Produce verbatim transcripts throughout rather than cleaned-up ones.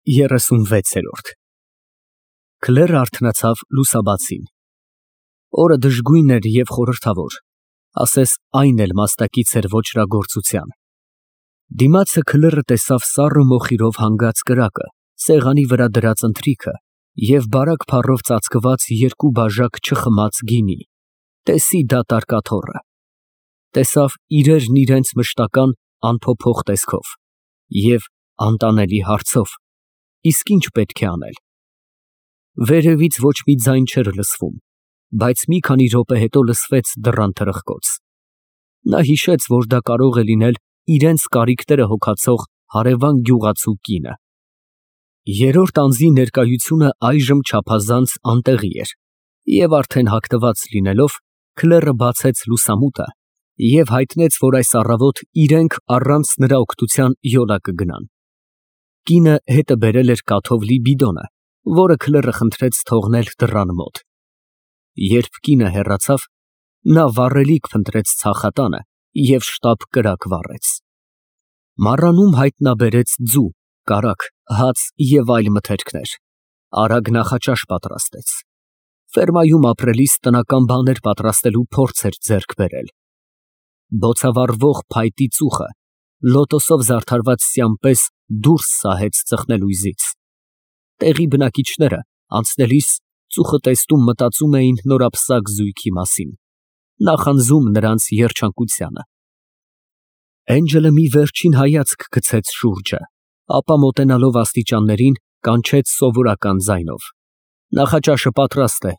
երեսունվեցերորդ Քլերը արթնացավ լուսաբացին։ Օրը դժգույն էր և խորհրդավոր, ասես այն էլ մաստակից էր ոճրագործության։ Դիմացը քլերը տեսավ սառը մոխիրով հանգած կրակը, սեղանի վրա դրած ընթրիքը և բարակ փառով ծածկված երկու բաժակ չխմած գինի, տեսի դատարկ աթոռը։ Տեսավ իրերն իրենց մշտական անփոփոխ տեսքով և անտանելի հարցով, իսկ ի՞նչ պետք է անել։ Վերևից ոչ մի ձայն չէր լսվում, բայց մի քանի րոպե հետո լսվեց դռան թրխկոց։ Նա հիշեց, որ դա կարող է լինել իրենց կարիքները հոգացող հարևան գյուղացու կինը։ Երրորդ անձի ներկայությունը այժմ չափազանց անտեղի էր, և արդեն հագնված լինելով, քլերը բացեց լուսամուտը և հայտնեց, որ այս առավոտ իրենք առանց նրա օգնության յոլա կգնան։ Կինը հետը բերել էր կաթով լի բիդոնը, որը քլերը խնդրեց թողնել դռան մոտ։ Երբ կինը հեռացավ, նա վառելիք փնտրեց ցախատանը և շտապ կրակ վառեց։ Մառանում հայտնաբերեց ձու, կարագ, հաց և այլ մթերքներ, արագ նախաճաշ պատրաստեց։ Ֆերմայում ապրելիս տնական բաներ պատրաստելու փորձ էր ձեռք բերել։ Բոցավառվող փայտի ծուխը լոտոսով զարդարված սյան պես դուրս սահեց ծխնելույզից։ Տեղի բնակիչները, անցնելիս, ծուխը տեսնում մտածում էին նորապսակ զույգի մասին, նախանձում նրանց երջանկությանը։ Էնջելը մի վերջին հայացք գցեց շուրջը, ապա մոտենալով աստիճաններին, կանչեց սովորական ձայնով. «Նախաճաշը պատրաստ է»։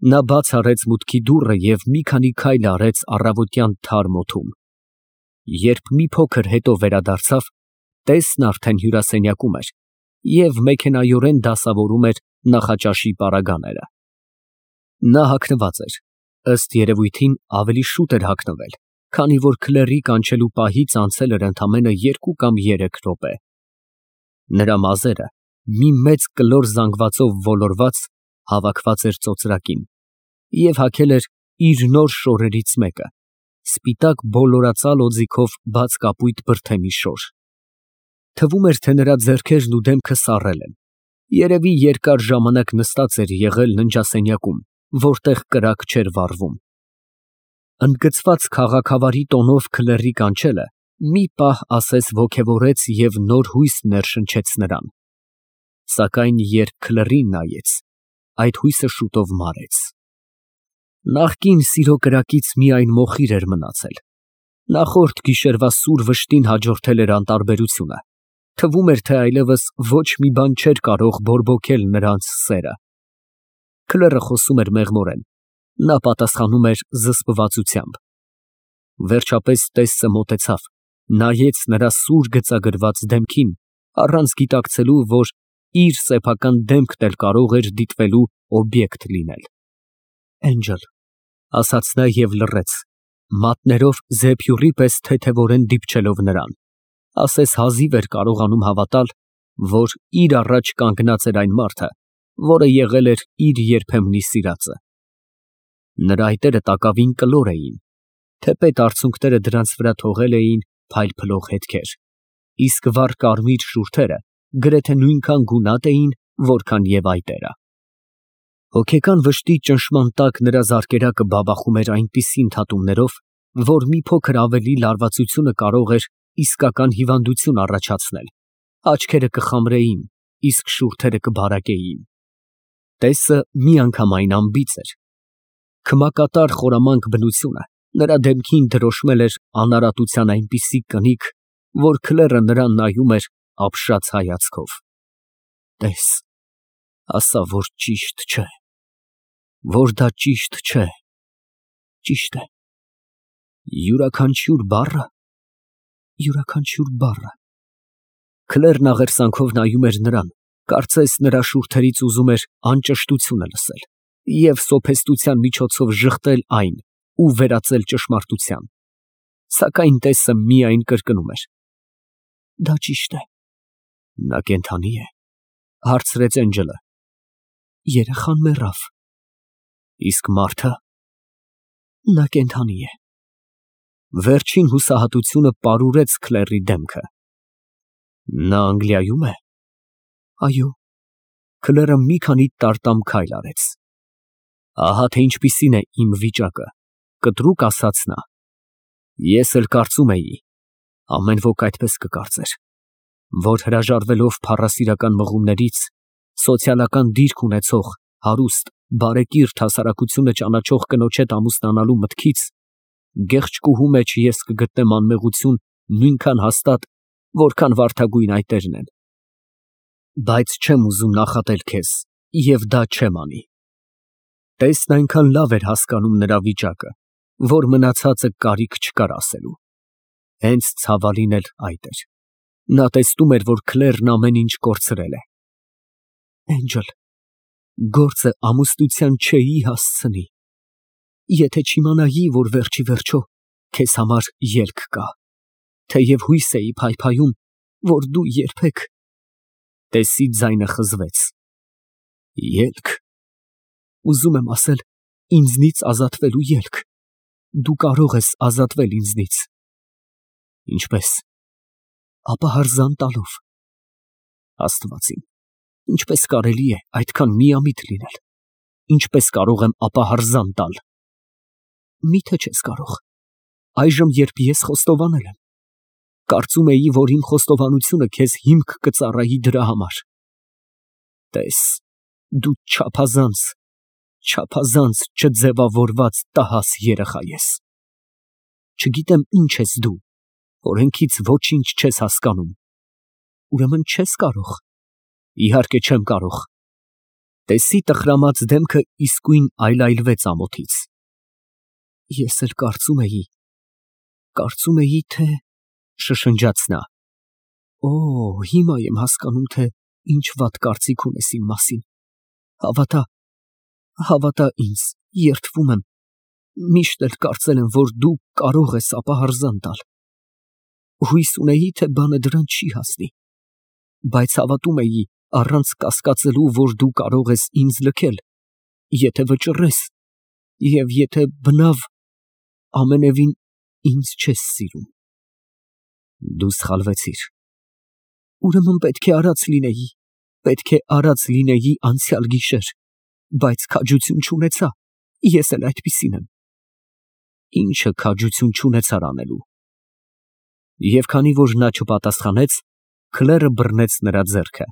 Նա բաց արեց մուտքի դուռը և մի քանի քայլ արեց առավոտյան թարմ օդում։ Երբ մի փոքր հետո վերադարձավ, տեսն արդեն հյուրասենյակում էր և մեքենայորեն դասավորում էր նախաճաշի պարագաները։ Նա հագնված էր, ըստ երևույթին ավելի շուտ էր հագնվել, քանի որ քլերի կանչելու պահից անցել էր ընդամենը երկու կամ երեք րոպե։ Նրա մազերը, մի մեծ կլոր զանգվածով ոլորված, հավաքված էր ծոծրակին և հագել էր իր նոր շորերից մեկը, սպիտակ բոլորածալ օձիքով բաց կապույտ բրդեմի շոր։ Թվում էր, թե նրա ձեռքերն ու դեմքը սառել են, երևի երկար ժամանակ նստած էր եղել ննջասենյակում, որտեղ կրակ չէր վառվում։ Ընդգծված քաղաքավարի տոնով քլերի կանչելը մի պահ ասես ոգևորեց և նոր հույս ներշնչեց նրան։ Սակայն երբ քլերին նայեց, այդ հույսը շուտով մարեց։ Նախկին սիրո կրակից միայն մոխիր էր մնացել։ Նախորդ գիշերվա սուր վշտին հաջորդել էր անտարբերությունը։ Թվում էր, թե այլևս ոչ մի բան չէր կարող բորբոքել նրանց սերը։ Քլերը խոսում էր մեղմորեն, նա պատասխանում էր զսպվածությամբ։ Վերջապես տեսը մոտեցավ, նայեց նրա սուր գծագրված դեմքին, առանց գիտակցելու, որ իր սեփական դեմքն էլ կարող էր դիտվելու օբյեկտ լինել։ «Էնջել», ասաց նա և լռեց, մատներով զեփյուռի պես թեթևորեն դիպչելով նրան, ասես հազիվ էր կարողանում հավատալ, որ իր առաջ կանգնած էր այն մարդը, որը եղել էր իր երբեմնի սիրածը։ Նրա այտերը տակավին կլոր էին, թեպետ արցունքները դրանց վրա թողել էին փայլփլող հետքեր, իսկ վառ կարմիր շուրթերը գրեթե նույնքան գունատ էին, որքան և այտերը։ Հոգեկան վշտի ճնշման տակ նրա զարկերակը բաբախում էր այնպիսի ընդհատումներով, որ մի փոքր ավելի լարվածությունը կարող էր իսկական հիվանդություն առաջացնել, աչքերը կխամրեին, իսկ շուրթերը կբարակեին։ Տեսը միանգամայն անբիծ էր։ Քմակատար խորամանկ բնությունը նրա դեմքին դրոշմել էր անարատության այնպիսի կնիկ, որ քլերը նրան նայում էր ապշած հայացքով։ «Տես, ասա, որ ճիշտ չէ, որ դա ճիշտ չէ, ճիշտ է, յուրաքանչյուր բառը, յուրաքանչյուր բառը»։ Քլերն աղերսանքով նայում էր նրան, կարծես նրա շուրթերից ուզում էր անճշտությունը լսել և սոփեստության միջոցով ժխտել այն ու վերածել ճշմարտության։ Սակայն տեսը միայն կրկնում էր. «Դա ճիշտ է»։ Նա կենդանի է, հարցրեց Էնջելը։ Երեխան մեռավ։ Իսկ մարդը։ Նա կենդանի է։ Վերջին հուսահատությունը պարուրեց քլերի դեմքը։ Նա Անգլիայում է։ Այո։ Քլերը մի քանի տարտամ քայլ արեց։ Ահա թե ինչպիսին է իմ վիճակը, կտրուկ ասաց նա։ Ես էլ կարծում էի, ամեն ոք այդպես կկարծեր, որ հրաժարվելով փառասիրական մղումներից, սոցիալական դիրք ունեցող, հարուստ, բարեկիրթ հասարակությունը ճանաչող կնոջ հետ ամուսնանալու մտքից, գեղչկուհու մեջ ես կգտնեմ անմեղություն նույնքան հաստատ, որքան վարդագույն այտերն են։ Բայց չեմ ուզում նախատել քեզ և դա չեմ անի։ Տեսն այնքան լավ էր հասկանում նրա վիճակը, որ մնացածը կարիք չկար ասելու։ Հենց ցավալին էլ այդ էր։ Նա տեսնում էր, որ Քլերն ամեն ինչ կորցրել է։ Էնջել, գործը ամուսնության չէի հասցնի։ Եթե չիմանայի, որ վերջի վերջո քեզ համար ելք կա, թեև հույս էի փայփայում, որ դու երբեք… Տեսի ձայնը խզվեց։ Ելք… Ուզում եմ ասել, ինձնից ազատվելու ելք։ Դու կարող ես ազատվել ինձնից։ Ինչպե՞ս։ Ապահարզան տալով։ Աստված իմ, ինչպես կարելի է այդքան միամիտ լինել։ Ինչպես կարող եմ ապահարզան տալ։ Միթե չես կարող։ Այժմ, երբ ես խոստովանել եմ, կարծում էի, որ իմ խոստովանությունը քեզ հիմք կծառայի դրա համար։ Տես, դու չափազանց, չափազանց չձևավորված տհաս երեխա ես։ Չգիտեմ ինչ ես դու, օրենքից ոչինչ չես հասկանում։ Ուրեմն չես կարող։ Իհարկե չեմ կարող։ Տեսի տխրամած դեմքը իսկույն այլայլվեց ամոթից։ Ես էլ կարծում էի, կարծում էի, թե… շշնջաց նա։ Օ, հիմա եմ հասկանում, թե ինչ վատ կարծիք ունես իմ մասին։ Հավատա, հավատա ինձ, երդվում եմ, միշտ էլ կարծել եմ, որ դու կարող ես ապահարզան տալ։ Հույս ունեի, թե բանը դրան չի հասնի, բայց հավատում էի, առանց կասկածելու, որ դու կարող ես ինձ լքել, եթե վճռես, և եթե բնավ, ամենևին ինձ չես սիրում։ Դու սխալվեցիր։ Ուրեմն պետք է արած լինեի, պետք է արած լինեի անցյալ գիշեր, բայց քաջություն չունեցա, ես էլ այդպիսին եմ։ Ինչը քաջություն չունեցար անելու։ Եվ քանի որ նա չպատասխանեց, Քլերը բռնեց նրա ձեռքը։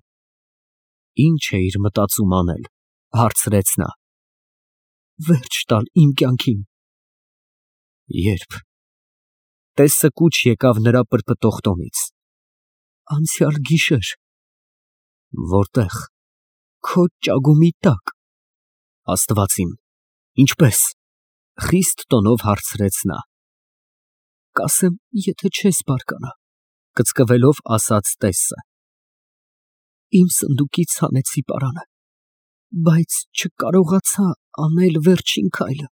Ինչ էիր մտածում անել, հարցրեց նա։ Վերջ տալ իմ կյանքին։ Երբ։ Տեսը կուչ եկավ նրա պրպտող տոնից։ Անցյալ գիշեր։ Որտե՞ղ։ Քո ճագումի տակ։ Աստված իմ, ինչպե՞ս։ Խիստ տոնով հարցրեց նա։ Կասեմ, եթե չես բարկանա, կծկվելով ասաց տեսը։ Իմ սնդուկից հանեցի պարանը, բայց չկարողացա անել վերջին քայլը,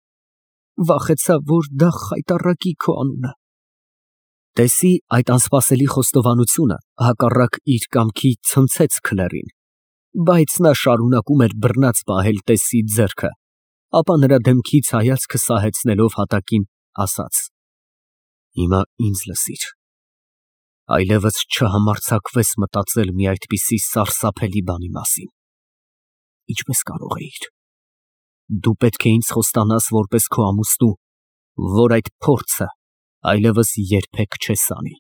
վախեցա, որ դա խայտառակի քո անունը։ Տեսի այդ անսպասելի խոստովանությունը հակառակ իր կամքի ցնցեց Քլերին, բայց նա շարունակում էր բռնած պահել տեսի ձեռքը, ապա նրա դեմքից հայացքը սահեցնելով հատակին, ասաց. Հիմա ինձ լսիր, այլևս չհամարձակվես մտածել մի այդպիսի սարսափելի բանի մասին։ Ինչպես կարող էիր։ Դու պետք է ինձ խոստանաս որպես քո ամուսնու, որ այդ փորձը այլևս երբեք չես անի։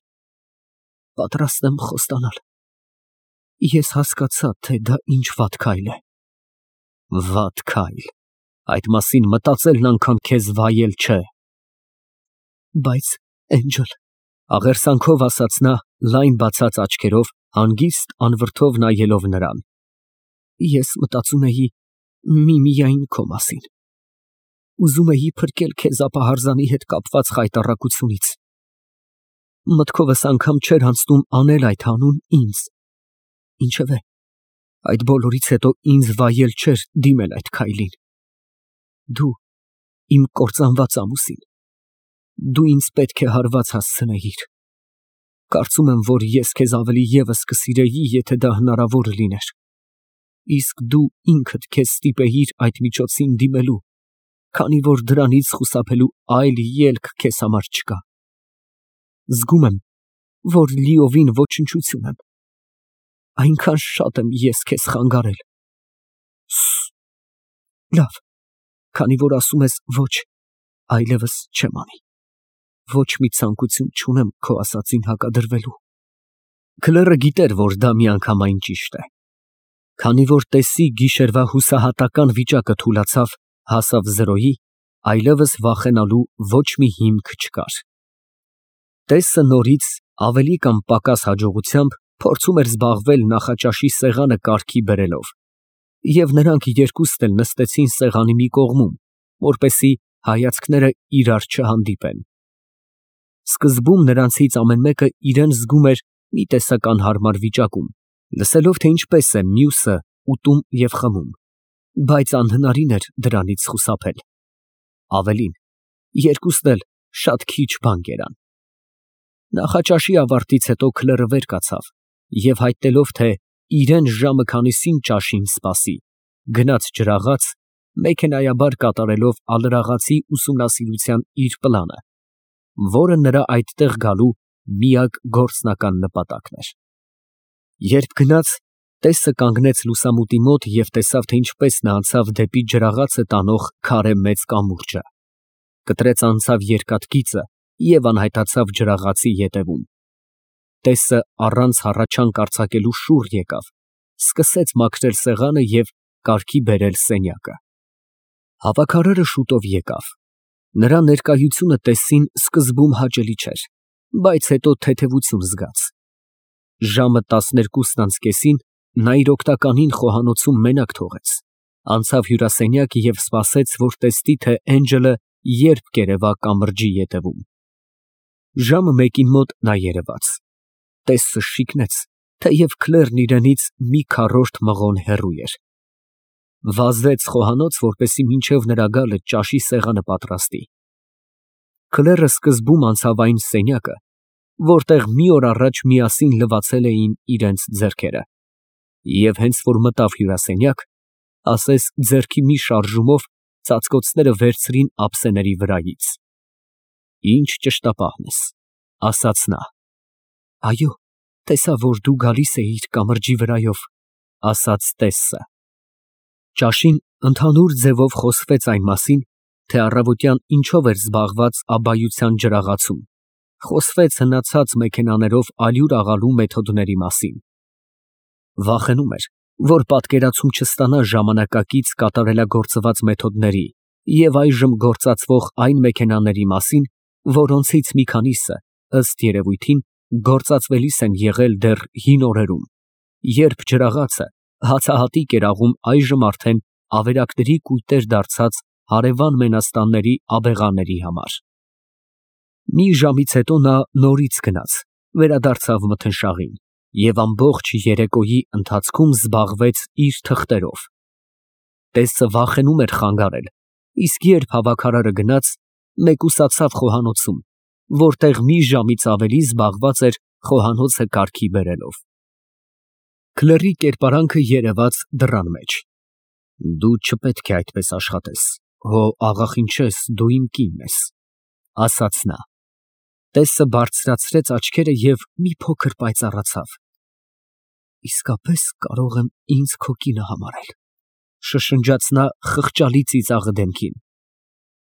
Պատրաստ եմ խոստանալ։ Ես հասկացա, թե դա ինչ վատ քայլ է։ Վատ քայլ։ Այդ մասին մտածելն անգամ քեզ վայել չէ։ Բայց, Էնջել, աղերսանքով ասաց նա, լայն բացած աչքերով, հանգիստ անվրդով նայելով նրան։ Ես մտածում էի միմիայն քո մասին։ Ուզում էի փրկել քեզ ապահարզանի հետ կապված խայտառակությունից։ Մտքովս անգամ չէր անցնում անել այդ հանուն ինձ։ Ինչևէ, այդ բոլորից հետո ինձ վայել չէր դիմել այդ քայլին։ Դու, իմ կործանված ամուսին, դու ինձ պետք է հարված հասցնեիր։ Կարծում եմ, որ ես քեզ ավելի ևս կսիրեի, եթե դա հնարավոր լիներ։ Իսկ դու ինքդ քեզ ստիպեիր այդ միջոցին դիմելու, քանի որ դրանից խուսափելու այլ ելք քեզ համար չկա։ Զգում եմ, որ լիովին ոչնչություն եմ։ Այնքան շատ եմ ես քեզ խանգարել։ Լավ, քանի որ ասում ես ոչ, այլևս չեմ անի։ Ոչ մի ցանկություն չունեմ քո ասածին հակադրվելու։ Քլերը գիտեր, որ դա միանգամայն ճիշտ է։ Քանի որ տեսի գիշերվա հուսահատական վիճակը թուլացավ, հասավ զրոյի, այլևս վախենալու ոչ մի հիմք չկար։ Տեսը նորից ավելի կամ պակաս հաջողությամբ փորձում էր զբաղվել նախաճաշի սեղանը կարգի բերելով, և նրանք երկուսն էլ նստեցին սեղանի մի կողմում, որպեսզի հայացքները իրար չհանդիպեն։ Սկզբում նրանցից ամեն մեկը իրան զգում էր մի տեսակ անհարմար վիճակում, լսելով, թե ինչպես է մյուսը ուտում և խմում, բայց անհնարին էր դրանից խուսափել։ Ավելին, երկուսն էլ շատ քիչ բան կերան։ Նախաճաշի ավարտից հետո Քլերը վեր կացավ և հայտնելով, թե իրան ժամը քանիսին ճաշին սպասի, գնաց ջրաղաց, մեքենայաբար կատարելով ալրաղացի ուսումնասիրության իր պլանը, որը նրա այդտեղ գալու միակ գործնական նպատակն էր։ Երբ գնաց, տեսը կանգնեց լուսամուտի մոտ և տեսավ, թե ինչպես նա անցավ դեպի ջրաղացը տանող քարե մեծ կամուրջը, կտրեց անցավ երկաթգիծը և անհայտացավ ջրաղացի ետևում։ Տեսը առանց հառաչանք արձակելու շուռ եկավ, սկսեց մաքրել սեղանը և կարգի բերել սենյակը։ Հավաքարարը շուտով եկավ։ Նրա ներկայությունը տեսին սկզբում հաճելի չէր, բայց հետո թեթևություն զգաց։ Ժամը տասներկուսն անց կեսին նա իր օգնականին խոհանոցում մենակ թողեց, անցավ հյուրասենյակ և սպասեց, որ տեսնի, թե Էնջելը երբ կերևա կամրջի ետևում։ Ժամը մեկին մոտ նա երևաց։ Տեսը շիկնեց, թեև Քլերն իրենից մի քառորդ մղոն հեռու էր։ Վազեց խոհանոց, որպեսզի մինչև նրա գալը ճաշի սեղանը պատրաստի։ Քլերը սկզբում անցավ այն սենյակը, որտեղ մի օր առաջ միասին լվացել էին իրենց ձեռքերը, և հենց որ մտավ հյուրասենյակ, ասես ձեռքի մի շարժումով ծածկոցները վերցրին ափսեների վրայից։ Ինչ ճշտապահն ես, ասաց նա։ Այո, տեսա, որ դու գալիս էիր կամրջի վրայով, ասաց տեսը։ Ճաշին ընդհանուր ձևով խոսվեց այն մասին, թե առավոտյան ինչով էր զբաղված Աբայության ջրաղացում, խոսվեց հնացած մեքենաներով ալյուր աղալու մեթոդների մասին։ Վախենում էր, որ պատկերացում չստանա ժամանակակից կատարելագործված մեթոդների և այժմ գործածվող այն մեքենաների մասին, որոնցից մի քանիսը, ըստ երևույթին, գործածվելիս են եղել դեռ հին օրերում, երբ ջրաղացը հացահատիկ էր աղում այժմ արդեն ավերակների կույտեր դարձած հարևան մենաստանների աբեղաների համար։ Մի ժամից հետո նա նորից գնաց, վերադարձավ մթնշաղին և ամբողջ երեկոյի ընթացքում զբաղվեց իր թղթերով։ Տեսը վախենում էր խանգարել, իսկ երբ հավաքարարը գնաց, մեկուսացավ խոհանոցում, որտեղ մի ժամից ավելի զբաղված էր խոհանոցը կարգի բերելով։ Քլերի կերպարանքը երևաց դռան մեջ։ Դու չպետք է այդպես աշխատես, հո աղախինչես, դու իմ կինն ես, ասաց նա։ Տեսը բարձրացրեց աչքերը և մի փոքր պայծառացավ։ Իսկապես կարող եմ ինձ քո կինը համարել, շշնջաց նա խղճալի ծիծաղը դեմքին։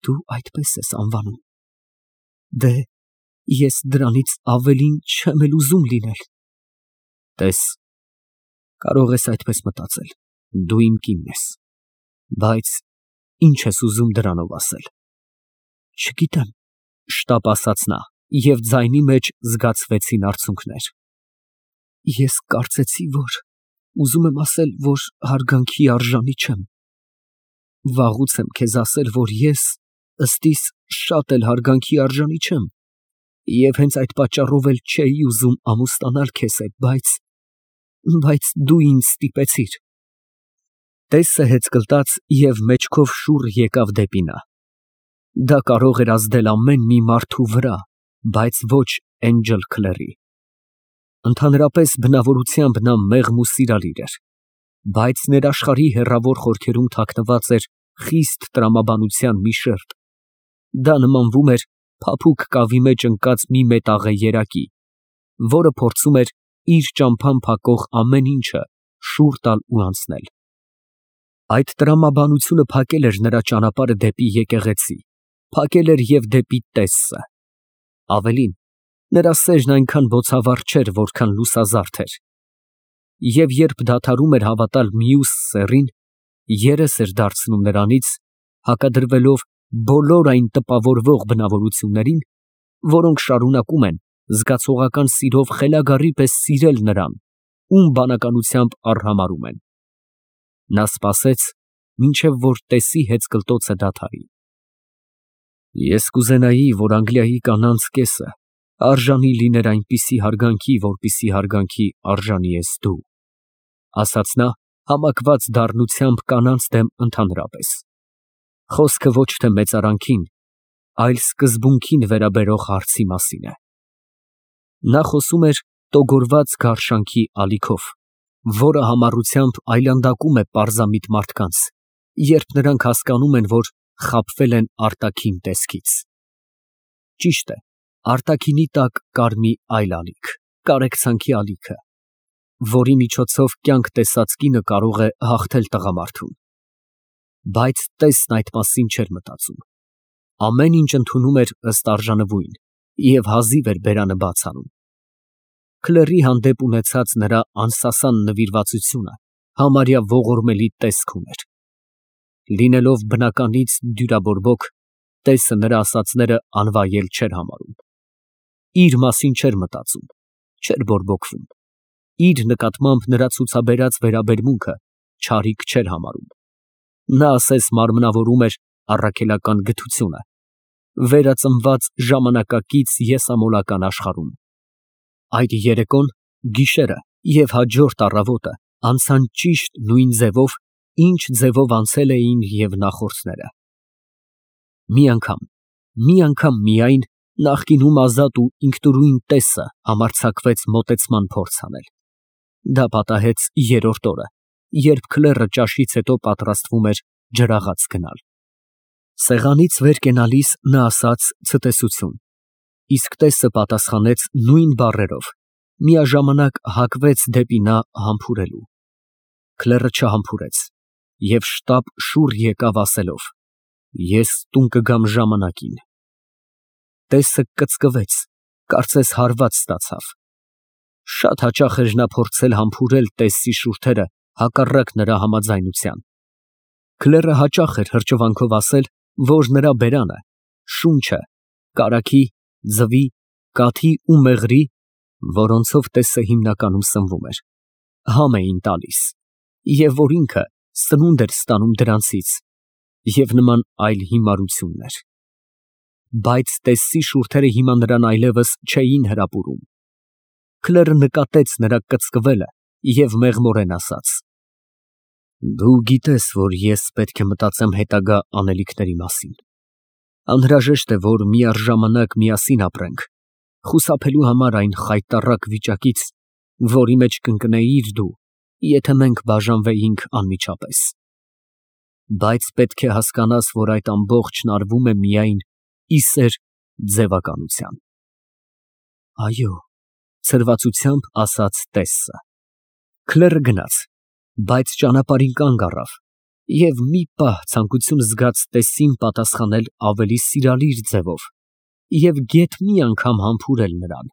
Դու այդպես ես անվանում։ Դե, ես դրանից ավելին չեմ էլ ուզում լինել։ Տես, կարող ես այդպես մտածել, դու իմ կինն ես, բայց ինչ ես ուզում դրանով ասել։ Չգիտեմ, շտապ ասաց նա, և ձայնի մեջ զգացվեցին արցունքներ։ Ես կարծեցի, որ ուզում եմ ասել, որ հարգանքի արժանի չեմ։ Վաղուց եմ քեզ ասել, որ ես ըստ իս շատ էլ հարգանքի արժանի չեմ, և հենց այդ պատճառով էլ չէի ուզում ամուսնանալ քեզ հետ, բայց… բայց դու ինձ ստիպեցիր։ Տեսը հեծկլտաց և մեջքով շուռ եկավ դեպի նա։ Դա կարող էր ազդել ամեն մի մարդու վրա, բայց ոչ Էնջել Քլերի։ Ընդհանրապես բնավորությամբ նա մեղմ ու սիրալիր էր, բայց ներաշխարհի հեռավոր խորքերում թաքնված էր խիստ տրամաբանության մի շերտ։ Դա նմանվում էր փափուկ կավի մեջ ընկած մի մետաղե երակի, որը փորձում էր իր ճամփան փակող ամեն ինչը շուռ տալ ու անցնել։ Այդ տրամաբանությունը փակել էր նրա ճանապարհը դեպի եկեղեցի, փակել էր և դեպի Տեսը։ Ավելին, նրա սերն այնքան բոցավառ չէր, որքան լուսազարդ էր։ Եվ երբ դադարում էր հավատալ մյուս սեռին, երես էր դարձնում նրանից, հակադրվելով բոլոր այն տպավորվող բնավորություններին, որոնք շարունակում են զգացողական սիրով խելագարի պես սիրել նրան, ում բանականությամբ արհամարհում են։ Նա սպասեց, մինչև որ Տեսի հեծկլտոցը դադարի։ Ես կուզենայի, որ Անգլիայի կանանց կեսը արժանի լիներ այնպիսի հարգանքի, որպիսի հարգանքի արժանի ես դու, ասաց նա համակված դառնությամբ կանանց դեմ ընդհանրապես։ Խոսքը ոչ թե մեծարանքին, այլ սկզբունքին վերաբերող հարցի մասին է։ Նա խոսում էր տոգորված գարշանքի ալիքով, որը համառությամբ այլանդակում է պարզամիտ մարդկանց, երբ նրանք հասկանում են, որ խաբվել են արտաքին տեսքից։ Ճիշտ է, արտաքինի տակ կար մի այլ ալիք, կարեկցանքի ալիքը, որի միջոցով կյանք տեսած կինը կարող է հաղթել տղամարդուն։ Բայց Տեսն այդ մասին չէր մտածում։ Ամեն ինչ ընդունում էր ըստ արժանվույն և հազիվ էր բերանը բաց անում։ Քլերի հանդեպ ունեցած նրա անսասան նվիրվածությունը համարյա ողորմելի տեսք ուներ։ Լինելով բնականից դյուրաբորբոք, Տեսը նրա ասածները անվայել չէր համարում։ Իր մասին չէր մտածում, չէր բորբոքվում։ Իր նկատմամբ նրա ցուցաբերած վերաբերմունքը չարիք չէր համարում։ Նա ասես մարմնավորում էր առաքելական գթությունը, վերածնված ժամանակակից եսամոլական աշխարհում։ Այդ երեկոն, գիշերը և հաջորդ առավոտը անցան ճիշտ նույն ձևով, ինչ ձևով անցել էին և նախորդները։ Մի անգամ, մի անգամ միայն նախկինում ազատ ու ինքնուրույն Տեսը համարձակվեց մոտեցման փորձ անել։ Դա պատահեց երրորդ օրը, երբ Քլերը ճաշից հետո պատրաստվում էր ջրաղաց գնալ։ Սեղանից վեր կենալիս նա ասաց ցտեսություն, իսկ Տեսը պատասխանեց նույն բառերով, միաժամանակ հակվեց դեպի նա համբուրելու։ Քլերը չհամբուրեց և շտապ շուռ եկավ ասելով. «Ես տուն կգամ ժամանակին»։ Տեսը կծկվեց, կարծես հարված ստացավ։ Շատ հաճախ էր նա փորձել համբուրել Տեսի շուրթերը հակառակ նրա համաձայնության։ Քլերը հաճախ էր հրճվանքով ասել, որ նրա բերանը, շունչը, կարագի, ձվի, կաթի ու մեղրի, որոնցով Տեսը հիմնականում սնվում էր, համ էին տալիս, և որ ինքը սնունդ էր ստանում դրանցից, և նման այլ հիմարություններ։ Բայց Տեսի շուրթերը հիմա նրան այլևս չէին հրապուրում։ Քլերը նկատեց նրա կծկվելը և մեղմորեն ասաց. «Դու գիտես, որ ես պետք է մտածեմ հետագա անելիքների մասին։ Անհրաժեշտ է, որ միառժամանակ միասին ապրենք, խուսափելու համար այն խայտառակ վիճակից, որի մեջ կընկնեիր դու, եթե մենք բաժանվեինք անմիջապես։ Բայց պետք է հասկանաս, որ այդ ամբողջն արվում է միայն ի սեր ձևականության»։ Այո, ցրվածությամբ ասաց Տեսը։ Քլերը գնաց, բայց ճանապարհին կանգ առավ և մի պահ ցանկություն զգաց Տեսին պատասխանել ավելի սիրալիր ձևով և գեթ մի անգամ համբուրել նրան։